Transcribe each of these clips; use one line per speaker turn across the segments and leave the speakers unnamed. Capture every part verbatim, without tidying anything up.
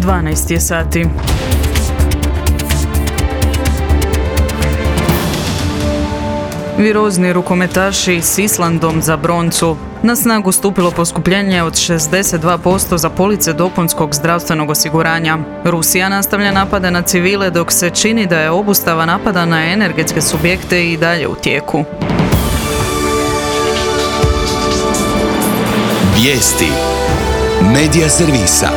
dvanaest je sati. Virozni rukometaši s Islandom za broncu. Na snagu stupilo poskupljenje od šezdeset dva posto za police dopunskog zdravstvenog osiguranja. Rusija nastavlja napade na civile dok se čini da je obustava napada na energetske subjekte i dalje u tijeku.
Vijesti Medija servisa.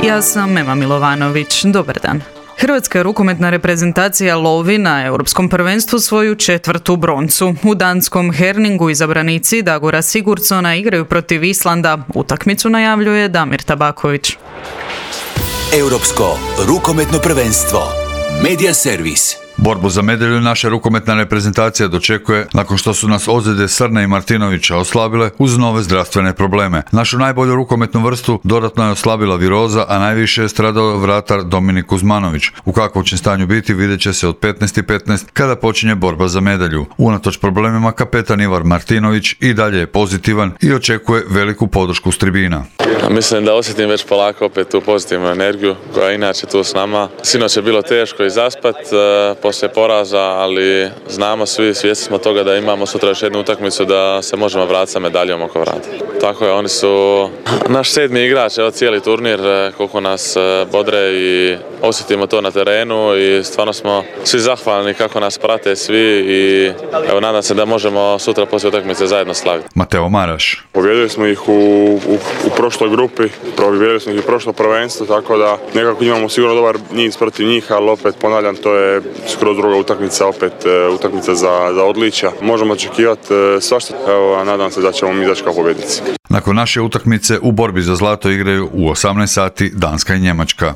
Ja sam Ema Milovanović. Dobar dan. Hrvatska rukometna reprezentacija lovi na Europskom prvenstvu svoju četvrtu broncu. U danskom Herningu izabranici Dagora Sigurdsona igraju protiv Islanda. Utakmicu najavljuje Damir Tabaković.
Europsko rukometno prvenstvo. Medija servis.
Borbu za medalju naša rukometna reprezentacija dočekuje nakon što su nas ozljede Srne i Martinovića oslabile uz nove zdravstvene probleme. Našu najbolju rukometnu vrstu dodatno je oslabila viroza, a najviše je stradao vratar Dominik Kuzmanović. U kakvom će stanju biti vidjet će se od petnaest i petnaest kada počinje borba za medalju. Unatoč problemima kapetan Ivar Martinović i dalje je pozitivan i očekuje veliku podršku s tribina.
Mislim da osjetim već polako opet tu pozitivnu energiju koja je inače tu s nama. Sinoć je bilo teško i zaspat poslije poraza, ali znamo svi, svjesni smo toga da imamo sutra još jednu utakmicu da se možemo vratiti sa medaljom oko vrata. Tako je, oni su naš sedmi igrač, evo cijeli turnir, koliko nas bodre i osjetimo to na terenu i stvarno smo svi zahvalni kako nas prate svi i evo nadam se da možemo sutra poslije utakmice zajedno slaviti.
Mateo Maraš.
Pobjedili smo ih u, u, u prošloj grupi, pobjedili smo ih u prošlo prvenstvo, tako da nekako imamo sigurno dobar niz protiv njih, ali opet ponavljam, to je skroz druga utakmica, opet utakmica za, za odličja. Možemo očekivati svašta, evo, nadam se da ćemo mi izaći kao pobjednici.
Nakon naše utakmice u borbi za zlato igraju u osamnaest sati Danska i Njemačka.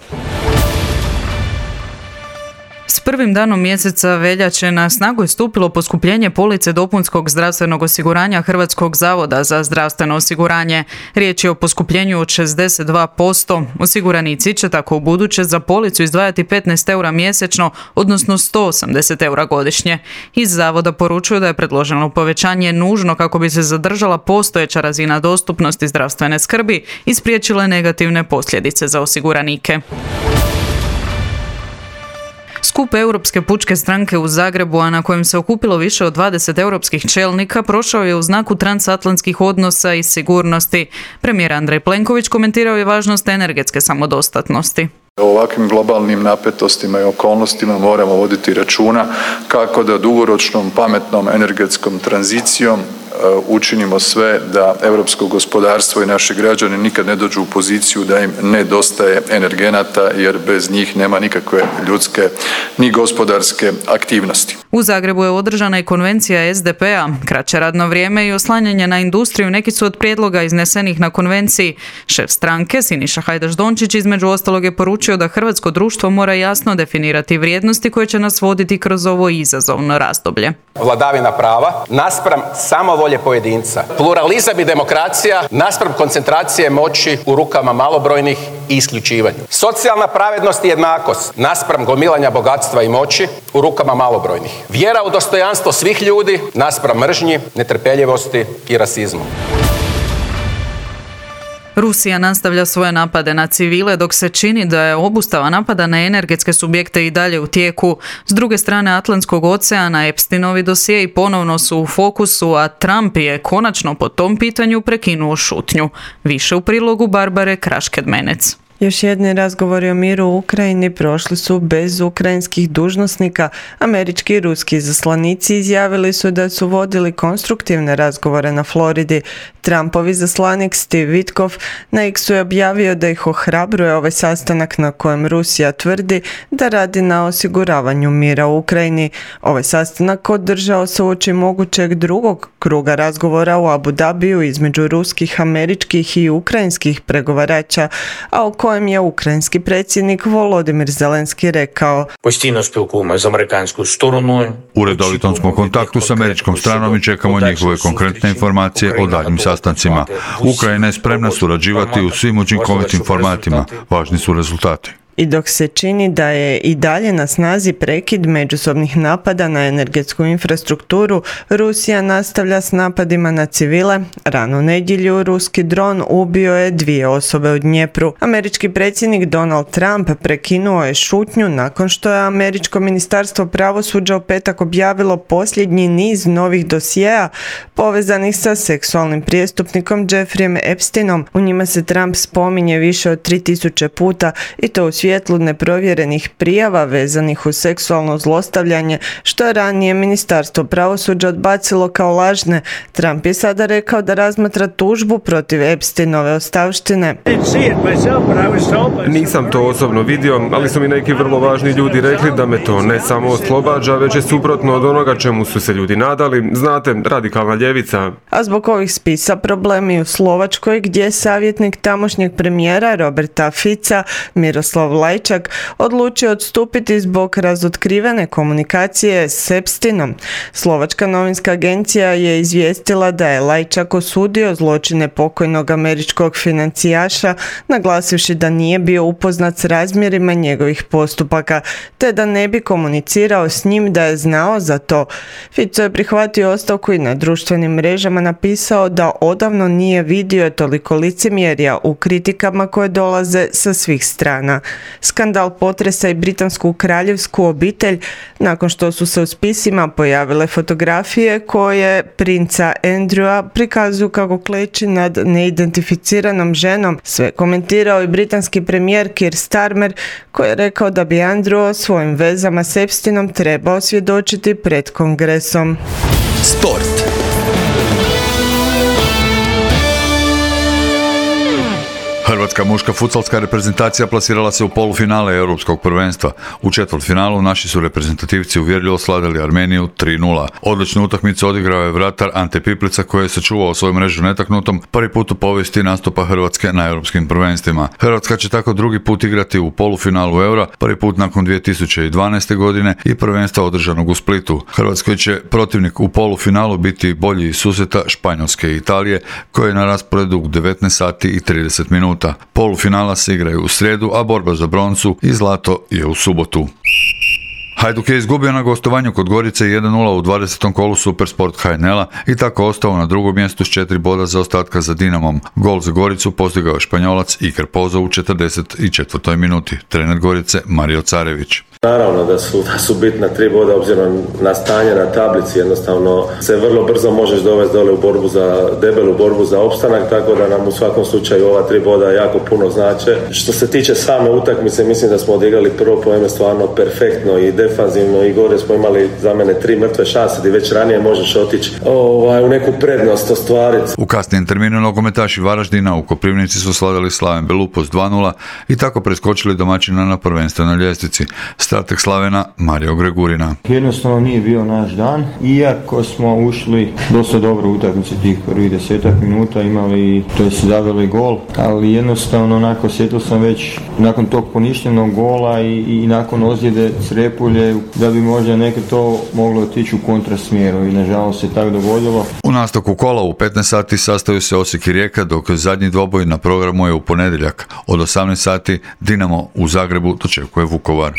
S prvim danom mjeseca veljače na snagu je stupilo poskupljenje police dopunskog zdravstvenog osiguranja Hrvatskog zavoda za zdravstveno osiguranje. Riječ je o poskupljenju od šezdeset dva posto. Osiguranici će tako u buduće za policu izdvajati petnaest eura mjesečno, odnosno sto osamdeset eura godišnje. Iz zavoda poručuju da je predloženo povećanje nužno kako bi se zadržala postojeća razina dostupnosti zdravstvene skrbi i spriječile negativne posljedice za osiguranike. Skup Europske pučke stranke u Zagrebu, a na kojem se okupilo više od dvadeset europskih čelnika, prošao je u znaku transatlantskih odnosa i sigurnosti. Premijer Andrej Plenković komentirao je važnost energetske samodostatnosti.
U ovakvim globalnim napetostima i okolnostima moramo voditi računa kako da dugoročnom pametnom energetskom tranzicijom učinimo sve da europsko gospodarstvo i naši građani nikad ne dođu u poziciju da im nedostaje energenata, jer bez njih nema nikakve ljudske ni gospodarske aktivnosti.
U Zagrebu je održana i konvencija es de pe a. Kraće radno vrijeme i oslanjanje na industriju neki su od prijedloga iznesenih na konvenciji. Šef stranke Siniša Hajdaš Dončić između ostalog je poručio da hrvatsko društvo mora jasno definirati vrijednosti koje će nas voditi kroz ovo izazovno razdoblje.
Vladavina prava naspram samovolje pojedinca, pluralizam i demokracija naspram koncentracije moći u rukama malobrojnih i isključivanju. Socijalna pravednost i jednakost naspram gomilanja bogatstva i moći u rukama malobrojnih. Vjera u dostojanstvo svih ljudi naspram mržnji, netrpeljivosti i rasizmu.
Rusija nastavlja svoje napade na civile dok se čini da je obustava napada na energetske subjekte i dalje u tijeku. S druge strane Atlantskog oceana Epsteinovi dosjei ponovno su u fokusu, a Trump je konačno po tom pitanju prekinuo šutnju. Više u prilogu Barbare Krašked-Menec.
Još jedni razgovori o miru u Ukrajini prošli su bez ukrajinskih dužnosnika. Američki i ruski izaslanici izjavili su da su vodili konstruktivne razgovore na Floridi. Trumpov izaslanik Steve Witkoff na X-u je objavio da ih ohrabruje ovaj sastanak na kojem Rusija tvrdi da radi na osiguravanju mira u Ukrajini. Ovaj sastanak održao se uoči mogućeg drugog kruga razgovora u Abu Dhabiju između ruskih, američkih i ukrajinskih pregovarača, a o kojem je ukrajinski predsjednik Volodimir Zelenski rekao:
Постійно спілкуємося з американською стороною.
U redovitom smo kontaktu s američkom stranom i čekamo njihove konkretne informacije o daljim sastancima. Ukrajina je spremna surađivati u svim učinkovitim formatima. Važni su rezultati.
I dok se čini da je i dalje na snazi prekid međusobnih napada na energetsku infrastrukturu, Rusija nastavlja s napadima na civile. Ranu nedjelju ruski dron ubio je dvije osobe u Dnjepru. Američki predsjednik Donald Trump prekinuo je šutnju nakon što je američko ministarstvo pravosuđa u petak objavilo posljednji niz novih dosjea povezanih sa seksualnim prijestupnikom Jeffreyem Epsteinom. U njima se Trump spominje više od tri tisuće puta i to u svjetlu neprovjerenih prijava vezanih uz seksualno zlostavljanje, što je ranije ministarstvo pravosuđa odbacilo kao lažne. Trump je sada rekao da razmatra tužbu protiv Epsteinove ostavštine.
Nisam to osobno vidio, ali su mi neki vrlo važni ljudi rekli da me to ne samo oslobađa, već je suprotno od onoga čemu su se ljudi nadali. Znate, radikalna ljevica.
A zbog ovih spisa problemi u Slovačkoj, gdje je savjetnik tamošnjeg premijera Roberta Fica, Miroslav Lajčak, odlučio odstupiti zbog razotkrivene komunikacije s Epsteinom. Slovačka novinska agencija je izvijestila da je Lajčak osudio zločine pokojnog američkog financijaša, naglasivši da nije bio upoznat s razmjerima njegovih postupaka, te da ne bi komunicirao s njim da je znao za to. Fico je prihvatio ostavku i na društvenim mrežama napisao da odavno nije vidio toliko licemjerja u kritikama koje dolaze sa svih strana. Skandal potresa i britansku kraljevsku obitelj nakon što su se u spisima pojavile fotografije koje princa Andrewa prikazuju kako kleči nad neidentificiranom ženom. Sve komentirao i britanski premijer Keir Starmer, koji je rekao da bi Andrew o svojim vezama s Epsteinom trebao svjedočiti pred kongresom.
Sport.
Hrvatska muška futsalska reprezentacija plasirala se u polufinale Europskog prvenstva. U četvrtfinalu naši su reprezentativci uvjerljivo slavili Armeniju tri nula. Odličnu utakmicu odigrao je vratar Ante Piplica koji je sačuvao svoju mrežu netaknutom prvi put u povijesti nastupa Hrvatske na europskim prvenstvima. Hrvatska će tako drugi put igrati u polufinalu Eura, prvi put nakon dvije tisuće dvanaeste. godine i prvenstva održanog u Splitu. Hrvatskoj će protivnik u polufinalu biti bolji iz susreta Španjolske i Italije, koji je na rasporedu u devetnaest sati i trideset minuta. Polufinala se igraju u srijedu, a borba za broncu i zlato je u subotu. Hajduk je izgubio na gostovanju kod Gorice jedan nula u dvadesetom kolu Supersport H N L-a i tako ostao na drugom mjestu s četiri boda za ostatka za Dinamom. Gol za Goricu postigao je Španjolac Iker Pozo u četrdeset četvrtoj minuti. Trener Gorice Mario Carević.
Naravno da su, da su bitna tri boda obzirom na stanje na tablici, jednostavno se vrlo brzo možeš dovesti dole u borbu za debelu borbu za opstanak, tako da nam u svakom slučaju ova tri boda jako puno znače. Što se tiče same utakmice, mislim da smo odigrali prvo poeme stvarno perfektno i defanzivno i gore smo imali za mene tri mrtve šanse gdje već ranije možeš otići ovaj, u neku prednost ostvariti.
U kasnijem terminu nogometaši Varaždina u Koprivnici su slavili Slaven Belupost dva nula i tako preskočili domaćina na prvenstvenoj ljestvici. Strateg Slavena Mario Gregurina.
Jednostavno nije bio naš dan, iako smo ušli dosta dobro u utakmici tih prvih desetak minuta, imali, to je zaveli gol, ali jednostavno onako osjetio sam već nakon tog poništenog gola i, i nakon ozljede Srepulje da bi možda neke to moglo otići u kontrasmjeru i nažalost se tako dogodilo.
U nastavku kola u petnaest sati sastaju se Osijek i Rijeka, dok zadnji dvoboj na programu je u ponedjeljak. Od osamnaest sati Dinamo u Zagrebu dočekuje Vukovar.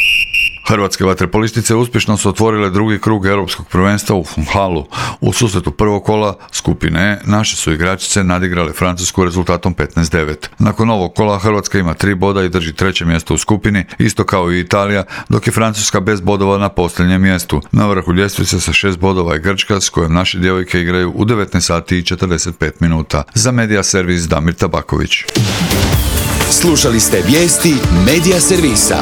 Hrvatske vaterpolistice uspješno su otvorile drugi krug europskog prvenstva u Funchalu. U susretu prvog kola skupine E naše su igračice nadigrale Francusku rezultatom petnaest devet. Nakon ovog kola Hrvatska ima tri boda i drži treće mjesto u skupini, isto kao i Italija, dok je Francuska bez bodova na posljednjem mjestu. Na vrhu ljestvice sa šest bodova je Grčka, s kojom naše djevojke igraju u devetnaest sati i četrdeset pet minuta. Za Media Servis Damir Tabaković.
Slušali ste vijesti Media Servisa.